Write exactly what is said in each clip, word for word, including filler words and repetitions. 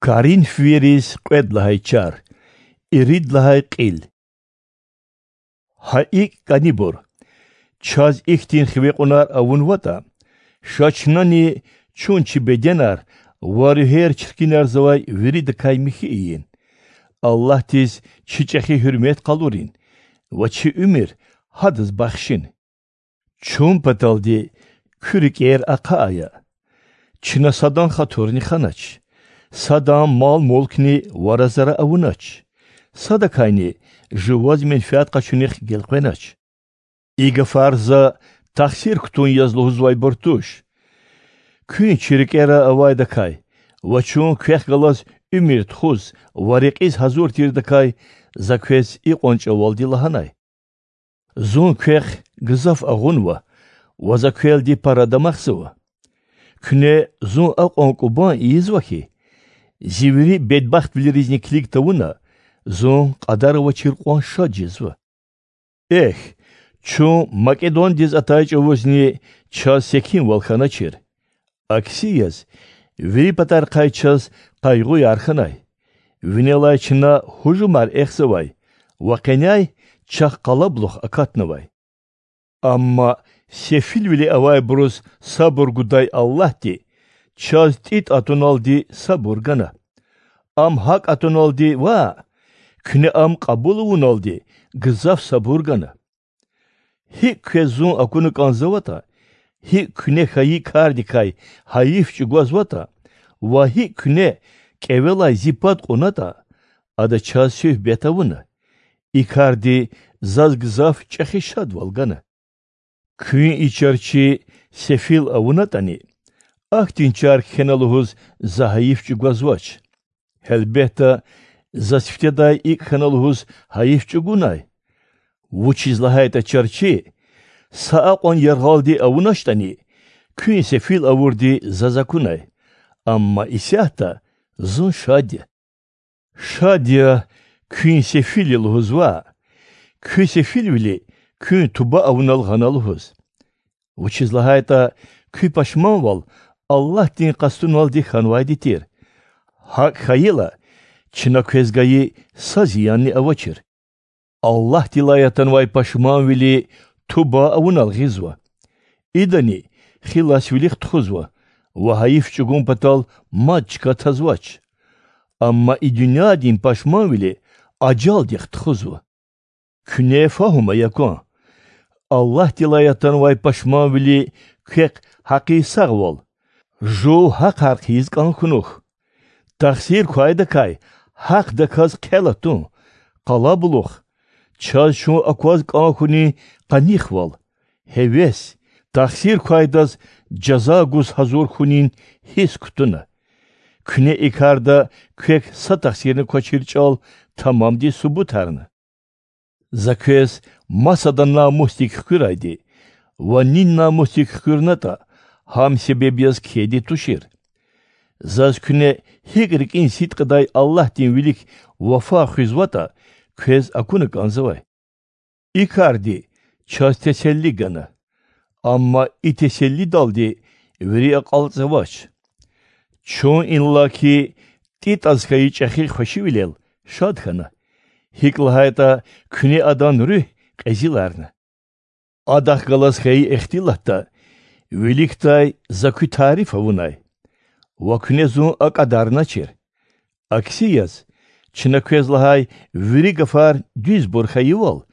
Коринфвийриз кьвед лагьай чар, ирид лагьай кьил. Гьа икӀ, кӀанибур, чаз ихьтин хиве кьунар авунватӀа, ша чнани чун чи беденар ва руьгьер чиркинарзавай виридакай михьи ийин, Аллагьдиз чи чӀехи гьуьрмет къалурин ва чи уьмуьр Гьадаз бахшин. Чун паталди куь рикӀер ахъа ая. Чна садан хатурни ханач, садан мал-мулкни вара-зара авунач, садакайни жуваз менфят къачунихъ гелкъвенач. И гафар за тахсир кутун яз лугьузвайбур туш. Куьн чи рикӀера авайдакай ва чун квехъ галаз уьмуьр тухуз ва рекьиз гьазур тирдакай за квез икьван чӀавалди лагьанай. Зун квехъ гзаф агъунва ва за квелди пара дамахзава. Куьне зун акьван кӀубан ийизва хьи, зи вири бедбахтвилеризни килиг тавуна, зун кьадар авачир кьван шад жезва. Эхь, чун Македондиз атай чӀавузни чаз секинвал хьаначир. Акси яз, вири патарихъай чаз къайгъуяр хьанай, винелай чна гьужумар эхзавай ва къеняй чахъ къалабулух акатнавай. Амма сефилвиле авайбуруз сабур гудай Аллагьди чаз ТӀитӀ атуналди сабур гана. Ам гьакӀ атуналди ваъ, куьне ам кьабул авуналди гзаф сабур гана. ГьикӀ квез зун акуна кӀанзаватӀа, гьикӀ куьне хьайи кардикай гьайиф чӀугвазватӀа ва гьикӀ куьне кӀевелай зи пад кьунатӀа, ада чаз суьгьбет авуна. И карди заз гзаф чӀехи шадвал гана. Куьн и чарчи сефил авунатӀани, ахьтин чар кхьена лугьуз за гьайиф чӀугвазвач. Гьелбетда, за сифтедай икӀ хьана лугьуз гьайиф чӀугунай. Вучиз лагьайтӀа чарчи са акьван яргъалди авуначтӀани, куьн сефил авурди заз акунай. Амма исятда зун шад я. Шад я, куьн сефил я лугьуз ваъ, куь сефилвили куьн туба авунал гъана лугьуз. Вучиз лагьайтӀа куь пашманвал Аллагьдин къастуналди хьанвайди тир. ГьакӀ хьайила, чна квез гайи са зиянни авачир. Аллагьдилай атанвай пашманвили туба авунал гъизва. Идани хиласвилихъ тухузва ва гьайиф чӀугун патал мад чка тазвач. Амма и дуьньядин пашманвили ажалдихъ тухузва. Куьне фагьум ая кван: Аллагьдилай атанвай пашманвили квехъ гьакъи сагъвал, жув гьахъар хъийиз кӀан хьунухь. Тахсир квайдакай гьахъдаказ хъел атун, къалабулух, чаз чун акваз кӀан хьунин къанихвал, гьевес, тахсир квайдаз жаза гуз гьазур хьунин гьисс кутуна. Куьне и карда квехъ са тахсирни квачир чӀал тамамди субутарна. За квез масада намусдик хкуьрайди ва нин намусдик хкуьрнатӀа, гьам себеб яз кхьейди тушир. Заз куьне гьикӀ рикӀин сидкьидай Аллагьдин вилик вафа хуьзватӀа, квез акуна кӀанзавай. И карди чаз теселли гана. Амма и теселлидалди вири акьалтӀзавач. Чун, иллаки, ТӀитӀаз хьайи чӀехи хвешивилел шад хьана, гьикӀ лагьайтӀа куьне адан руьгь кьезиларна. Адахъ галаз хьайи ихтилатда виликдай за куь тариф авунай ва куьне зун акӀадарначир. Акси яз, чна квез лагьай вири гафар дуьзбур хьайивал,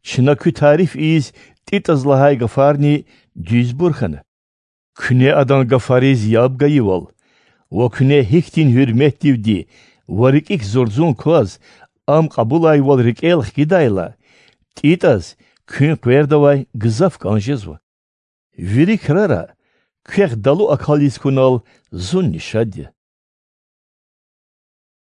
чна куь тариф ийиз ТӀитӀаз лагьай гафарни дуьзбур хьана. Куьне адан гафариз яб гайивал ва куьне гьихьтин гьуьрметдивди ва рикӀик зурзун кваз ам кьабулайвал рикӀел хкидайла, ТӀитӀаз куьн къвердавай гзаф кӀан жезва. Вири крара квехъ далу акал ийиз хьунал зунни шад я.